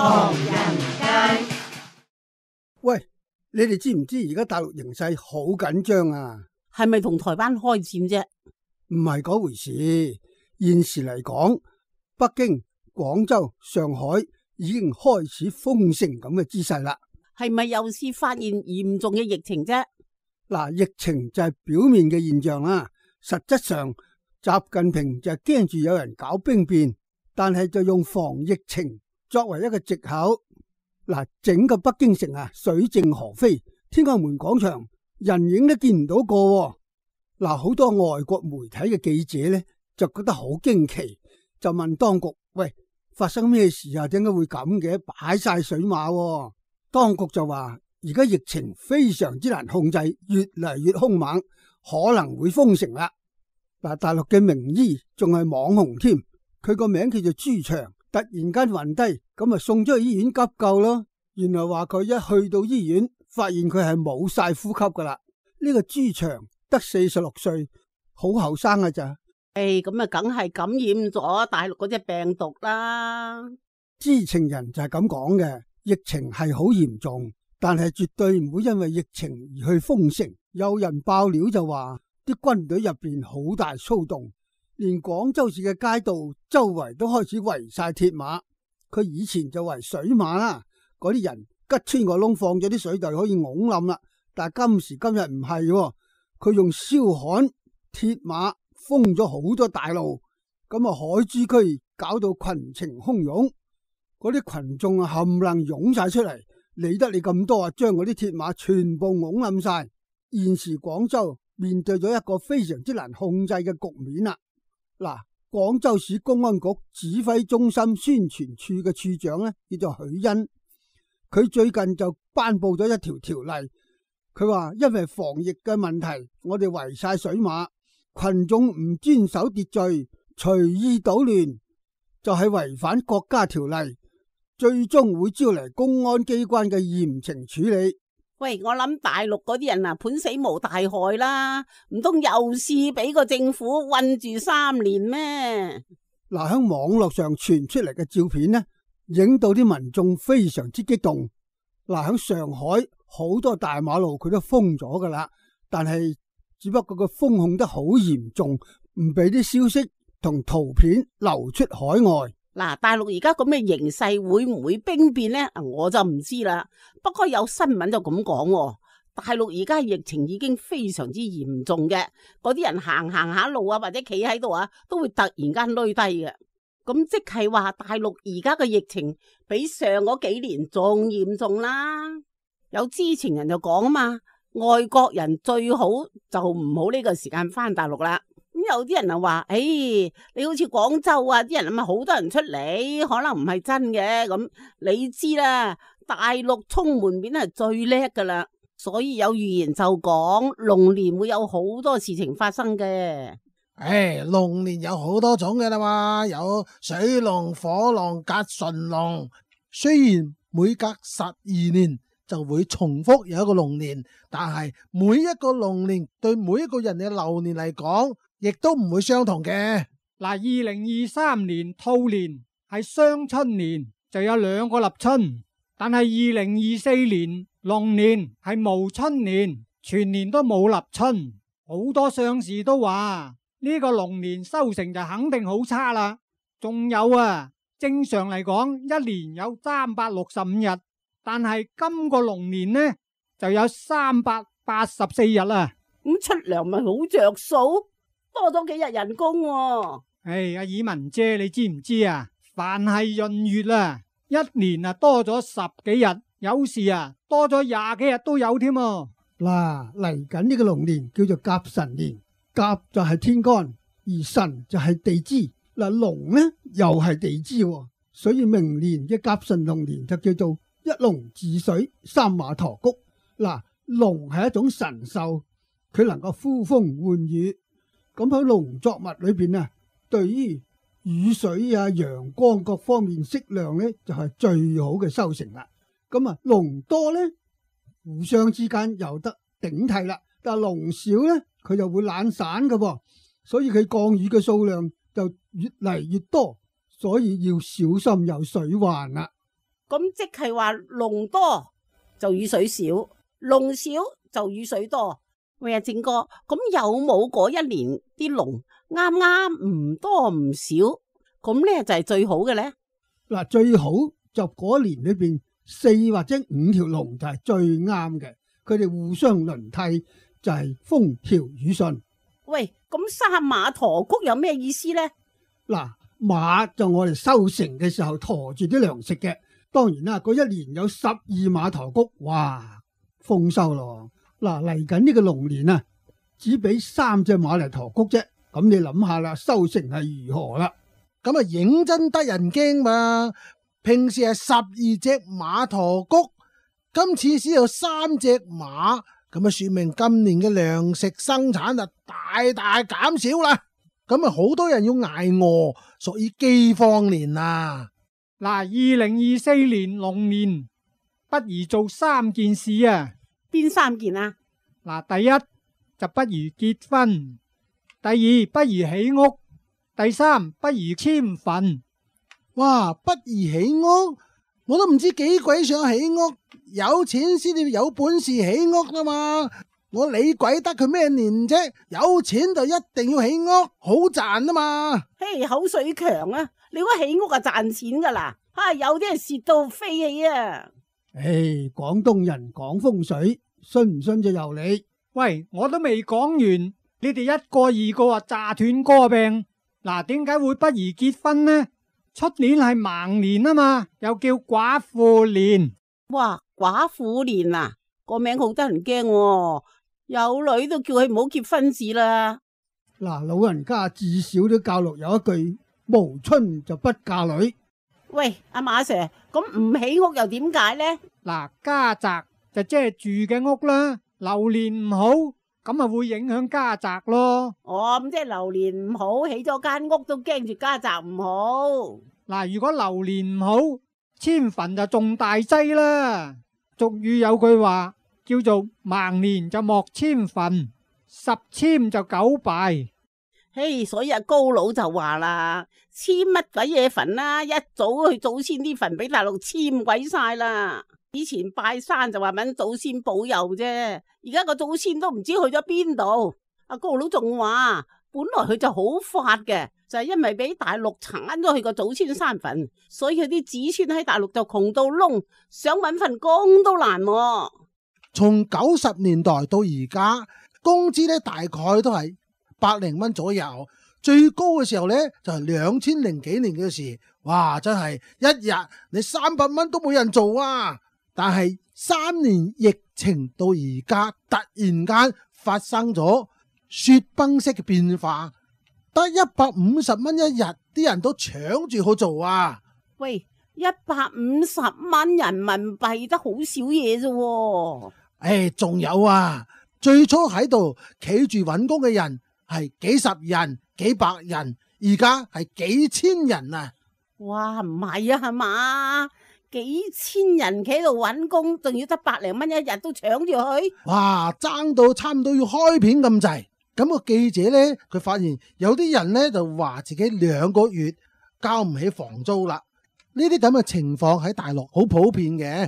唐人街。喂，你哋知唔知而家大陸形勢好緊張啊？係咪同台灣開戰啫？唔係嗰回事。現時嚟講，北京、廣州、上海已經開始封城咁嘅姿勢啦。係咪又是發現嚴重嘅疫情啫？嗱，疫情就係表面嘅現象啦，實質上習近平就係驚住有人搞兵變，但係就用防疫情作為一個藉口。嗱，整個北京城啊，水靜河飛，天安門廣場人影都見唔到個。嗱，好多外國媒體嘅記者呢，就覺得好驚奇，就問當局：喂，發生咩事啊？點解會咁嘅？擺晒水馬。當局就話：而家疫情非常之難控制，越嚟越兇猛，可能會封城啦。嗱，大陸嘅名醫仲係網紅添，佢個名叫做朱祥。突然間暈低，咁啊送咗去醫院急救咯。原來話佢一去到醫院，發現佢係冇晒呼吸噶啦。呢個朱祥得46歲，好後生噶咋？咁啊，梗係感染咗大陸嗰隻病毒啦。知情人就係咁講嘅，疫情係好嚴重，但係絕對唔會因為疫情而去封城。有人爆料就話，啲軍隊入邊好大騷動。連廣州市嘅街道周圍都開始圍晒鐵馬，佢以前就圍水馬啦，嗰啲人吉穿個窿放咗啲水就可以拱冧啦。但係今時今日唔係，佢用燒焊鐵馬封咗好多大路，咁啊海珠區搞到群情洶湧，嗰啲群眾啊冚唪唥湧晒出嚟，理得你咁多啊，將嗰啲鐵馬全部拱冧晒。現時廣州面對咗一個非常之難控制嘅局面啦。嗱，廣州市公安局指揮中心宣傳處嘅處長呢，叫做許恩，佢最近就頒布咗一條條例，佢話因為防疫嘅問題，我哋圍晒水馬，群眾唔遵守秩序，隨意搗亂，就係違反國家條例，最終會招嚟公安機關嘅嚴懲處理。喂，我諗大陸嗰啲人啊，判死無大害啦，唔通又試俾個政府困住3年咩？嗱，喺網絡上傳出嚟嘅照片呢，影到啲民眾非常之激動。嗱，喺上海好多大馬路佢都封咗噶啦，但係只不過佢封控得好嚴重，唔俾啲消息同圖片流出海外。嗱，大陸而家咁嘅形勢會唔會兵變呢？我就唔知啦。不過有新聞就咁講，大陸而家疫情已經非常之嚴重嘅，嗰啲人行下路啊，或者企喺度啊，都會突然間累低嘅。咁即係話大陸而家嘅疫情比上嗰幾年仲嚴重啦。有知情人就講啊嘛，外國人最好就唔好呢個時間翻大陸啦。咁有啲人就話，你好似廣州啊，啲人咪好多人出嚟，可能唔係真嘅。咁你知啦，大陸充門面係最叻噶啦，所以有預言就講龍年會有好多事情發生嘅。龍年有好多種嘅啦嘛，有水龍、火龍、甲辰龍。雖然每隔12年就會重複有一個龍年，但係每一個龍年對每一個人嘅流年嚟講，亦都唔會相同嘅。嗱，2023年兔年係雙春年，就有2個立春，但係2024年龍年係無春年，全年都冇立春。好多相士都話呢個龍年收成就肯定好差啦。仲有啊，正常嚟講一年有365日，但係今個龍年呢就有384日啦。咁出糧咪好着數？多咗幾日人工喎。阿爾文姐，你知唔知啊？凡係閏月啊，一年啊多咗10幾日，有時啊多咗20幾日都有添。嗱，嚟緊呢個龍年叫做甲辰年，甲就係天干，而辰就係地支。嗱，龍呢又係地支，所以明年嘅甲辰龍年就叫做一龍治水，三馬馱穀。嗱，龍係一種神獸，佢能夠呼風喚雨。咁喺農作物裏邊啊，對於雨水啊、陽光各方面適量呢，就係最好嘅收成啦。咁啊，龍多呢，互相之間有得頂替啦，但係龍少呢，佢就會懶散噶噃，所以佢降雨嘅數量就越嚟越多，所以要小心有水患啦。咁即係話龍多就雨水少，龍少就雨水多。喂啊，正哥，咁有冇嗰一年啲龍啱啱唔多唔少，咁咧就係最好嘅咧？嗱，最好就嗰年裏邊4或者5條龍就係最啱嘅，佢哋互相輪替，就係風調雨順。喂，咁三馬馱穀有咩意思咧？嗱，馬就我哋收成嘅時候馱住啲糧食嘅，當然啦，嗰一年有12馬馱穀，哇，豐收咯。嗱，嚟緊呢個龍年啊，只俾3隻馬嚟馱穀啫，咁你諗下啦，收成係如何啦？咁啊，認真得人驚嘛！平時係12隻馬馱穀，今次先有3隻馬，咁啊，說明今年嘅糧食生產啊大大減少啦。咁啊，好多人要挨餓，屬於饑荒年啊！嗱，2024年龍年不宜做3件事啊！邊3件啊？嗱，第一就不宜結婚，第二不宜起屋，第3不宜遷墳。哇，不宜起屋，我都唔知幾鬼想起屋，有錢先至有本事起屋啦嘛！我理鬼得佢咩年啫？有錢就一定要起屋，好賺啊嘛！嘿，口水強啊！你估起屋啊賺錢噶啦？有啲人蝕到飛起啊！廣東人講風水，信唔信就由你。喂，我都未講完，你哋一個二個話炸斷歌病。嗱，點解會不宜結婚呢？出年係盲年啊嘛，又叫寡婦年。哇，寡婦年啊，個名好得人驚喎，有女都叫佢唔好結婚字啦。嗱，老人家至少都教育有一句：無春就不嫁女。喂，阿馬 Sir，咁唔起屋又點解呢？嗱，家宅就即係住嘅屋啦，流年唔好，咁啊會影響家宅咯。哦，咁即係流年唔好，起咗間屋都驚住家宅唔好。嗱，如果流年唔好，遷墳就仲大劑啦。俗語有句話叫做盲年就莫遷墳，10遷就9敗。嘿，所以阿高佬就話啦，遷乜鬼嘢墳啦，一早去祖先啲墳俾大陸遷鬼晒啦。以前拜山就話搵祖先保佑啫，而家個祖先都唔知去咗邊度。阿高佬仲話，本來佢就好發嘅，就係因為俾大陸鏟咗佢個祖先山墳，所以佢啲子孫喺大陸就窮到窿，想搵份工都難喎。從90年代到而家，工資咧大概都係100零蚊左右，最高嘅時候呢，就係2000幾年嘅事，哇！真係一日你300蚊都冇人做啊！但係3年疫情到而家，突然間發生咗雪崩式嘅變化，得150蚊一日，啲人都搶住去做啊！喂，150蚊人民幣得好少嘢啫。仲有啊，最初喺度企住揾工嘅人係幾十人、幾百人，而家係幾千人啊！哇，唔係啊，係嘛？幾千人企喺度揾工，仲要得100零蚊一日都搶住去。哇，爭到差唔多要開片咁滯。咁個記者呢，佢發現有啲人呢就話自己2個月交唔起房租啦。呢啲咁嘅情況喺大陸好普遍嘅。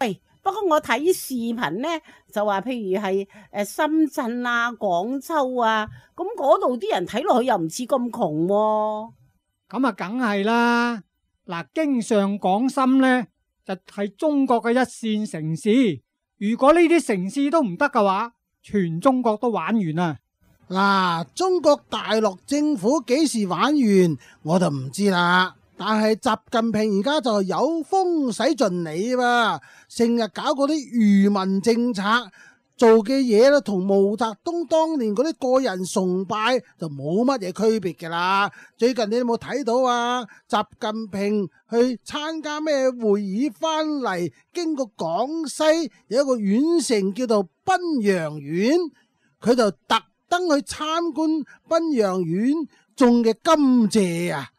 喂，不過我睇視頻呢，就話譬如係深圳啊、廣州啊，咁嗰度啲人睇落去又唔似咁窮喎。咁啊，梗係啦。嗱，京上廣深呢，就係中國嘅一線城市。如果呢啲城市都唔得嘅話，全中國都玩完啦。嗱，中國大陸政府幾時玩完我就唔知啦。但係習近平而家就有風使盡你喎，成日搞嗰啲愚民政策，做嘅嘢咧同毛澤東當年嗰啲個人崇拜就冇乜嘢區別㗎啦。最近你有冇睇到啊？習近平去參加咩會議翻嚟，經過廣西有一個縣城叫做賓陽縣，佢就特登去參觀賓陽縣種嘅甘蔗啊！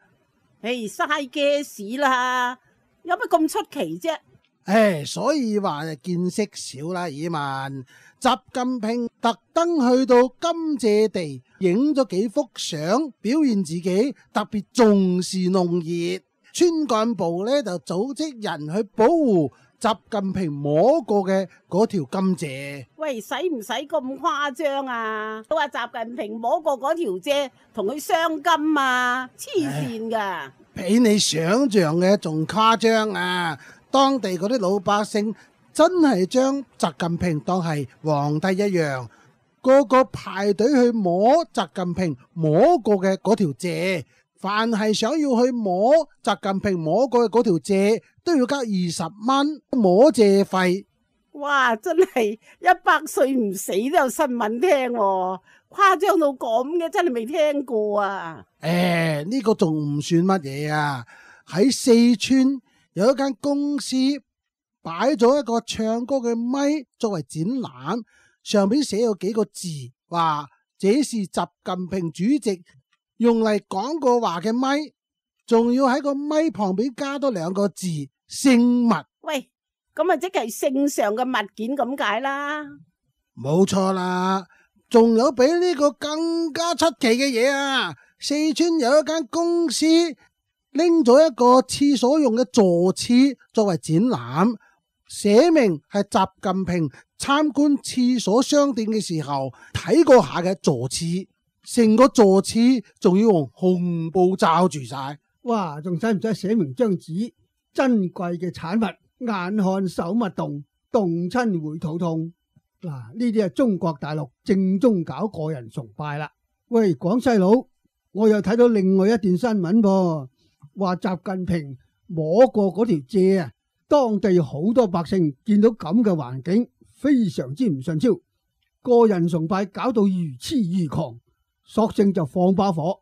嘥嘅事啦，有乜咁出奇啫？所以話見識少啦，耳民。習近平特登去到甘蔗地影咗幾幅相，表現自己特別重視農業。村幹部呢就組織人去保護習近平摸過嘅嗰條甘蔗。喂，使唔使咁誇張啊？都話習近平摸過嗰條蔗同佢相金啊，黐線噶！比你想象嘅仲誇張啊！當地嗰啲老百姓真係將習近平當係皇帝一樣，個個排隊去摸習近平摸過嘅嗰條蔗。凡係想要去摸習近平摸過嘅嗰條蔗，都要交20蚊摸蔗費。哇！真係100歲唔死都有新聞聽喎，誇張到咁嘅，真係未聽過啊！呢個仲唔算乜嘢啊？喺四川有一間公司擺咗一個唱歌嘅咪作為展覽，上面寫咗幾個字，話這是習近平主席用嚟講過話嘅咪，仲要喺個咪旁邊加多2個字聖物。喂，咁啊即係聖上嘅物件咁解啦。冇錯啦，仲有比呢個更加出奇嘅嘢啊！四川有一間公司拎咗一個廁所用嘅坐廁作為展覽，寫明係習近平參觀廁所商店嘅時候睇過下嘅坐廁。成個坐廁仲要用紅布罩住晒，哇！仲使唔使寫明張紙？珍貴嘅產物，眼看手勿動，動親會肚痛。嗱，呢啲係中國大陸正宗搞個人崇拜啦。喂，廣西佬，我又睇到另外一段新聞噃，話習近平摸過嗰條蔗啊，當地好多百姓見到咁嘅環境，非常之唔順超，個人崇拜搞到如痴如狂。索性就放把火，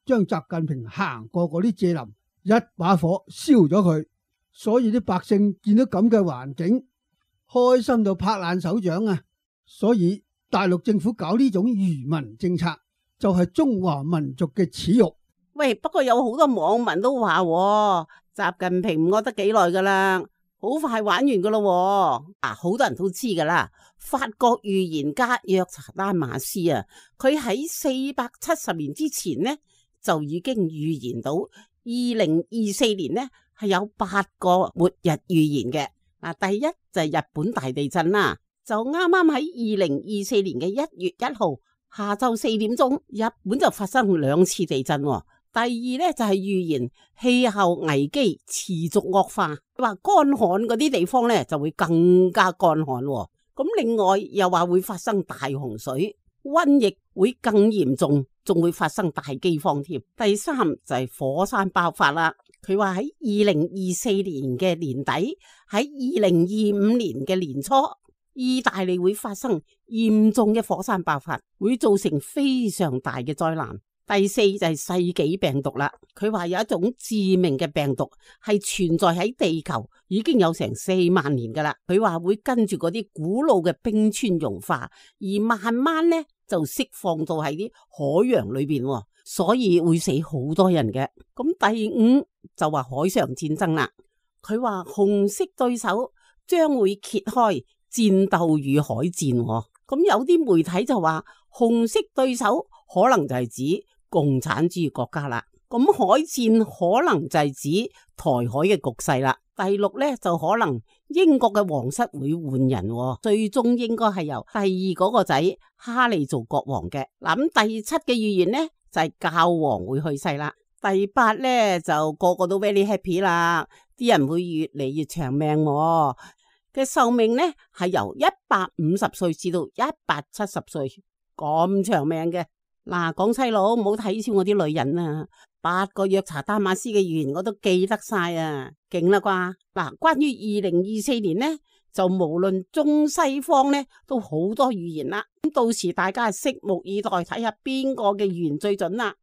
將習近平行過嗰啲蔗林一把火燒咗佢。所以啲百姓見到咁嘅環境，開心到拍爛手掌啊！所以大陸政府搞呢種愚民政策，就係中華民族嘅恥辱。喂，不過有好多網民都話，習近平唔餓得幾耐噶啦，好快玩完噶咯。好多人都知噶啦。法國預言家約查丹馬斯啊，佢喺470年之前呢就已經預言到2024年呢係有8個末日預言嘅。第一就係日本大地震啦，就啱啱喺2024年嘅1月1號下晝4點鐘，日本就發生2次地震。第二呢就係預言氣候危機持續惡化，話乾旱嗰啲地方呢就會更加乾旱。咁另外又話會發生大洪水，瘟疫會更嚴重，仲會發生大饑荒添。第三就係火山爆發啦。佢話喺2024年嘅年底，喺2025年嘅年初，意大利會發生嚴重嘅火山爆發，會造成非常大嘅災難。第四就係世紀病毒啦，佢話有一種致命嘅病毒係存在喺地球已經有成4萬年噶啦，佢話會跟住嗰啲古老嘅冰川融化，而慢慢呢就釋放到喺啲海洋裏邊，所以會死好多人嘅。咁第五就話海上戰爭啦，佢話紅色對手將會揭開戰鬥與海戰。咁有啲媒體就話紅色對手可能就係指共產主義國家啦，咁海戰可能就係指台海嘅局勢啦。第6呢，就可能英國嘅皇室會換人，最終應該係由第2嗰個仔哈利做國王嘅。咁第7嘅預言呢，就係教皇會去世啦。第8呢，就個個都 very happy 啦，啲人會越嚟越長命嘅壽命呢，係由150歲至到170歲咁長命嘅。嗱，廣西佬唔好睇小我啲女人啊，8個約查丹馬斯嘅預言我都記得晒啊，勁啦啩。嗱，關於2024年呢，就無論中西方呢都好多預言啦。咁到時大家拭目以待，睇下邊個嘅預言最準啦。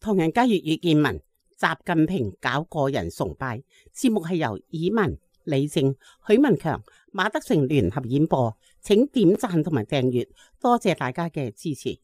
唐人街粵語見聞，習近平搞個人崇拜，節目係由以文、李正、許文強、馬德成聯合演播，請點讚同埋訂閱，多謝大家嘅支持。